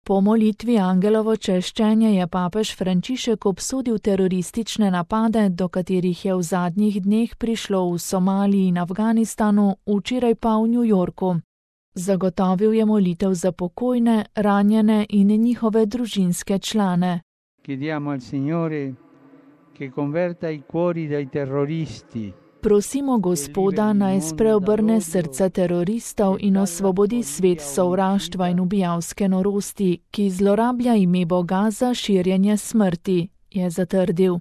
Po molitvi Angelovo češčenje je papež Frančišek obsodil teroristične napade, do katerih je v zadnjih dneh prišlo v Somaliji in Afganistanu, včeraj pa v New Yorku. Zagotovil je molitev za pokojne, ranjene in njihove družinske člane. Chiediamo al Signore che converta i cuori dei terroristi. Prosimo Gospoda, naj spreobrne srca teroristov in osvobodi svet sovraštva in ubijalske norosti, ki zlorablja ime Boga za širjenje smrti, je zatrdil.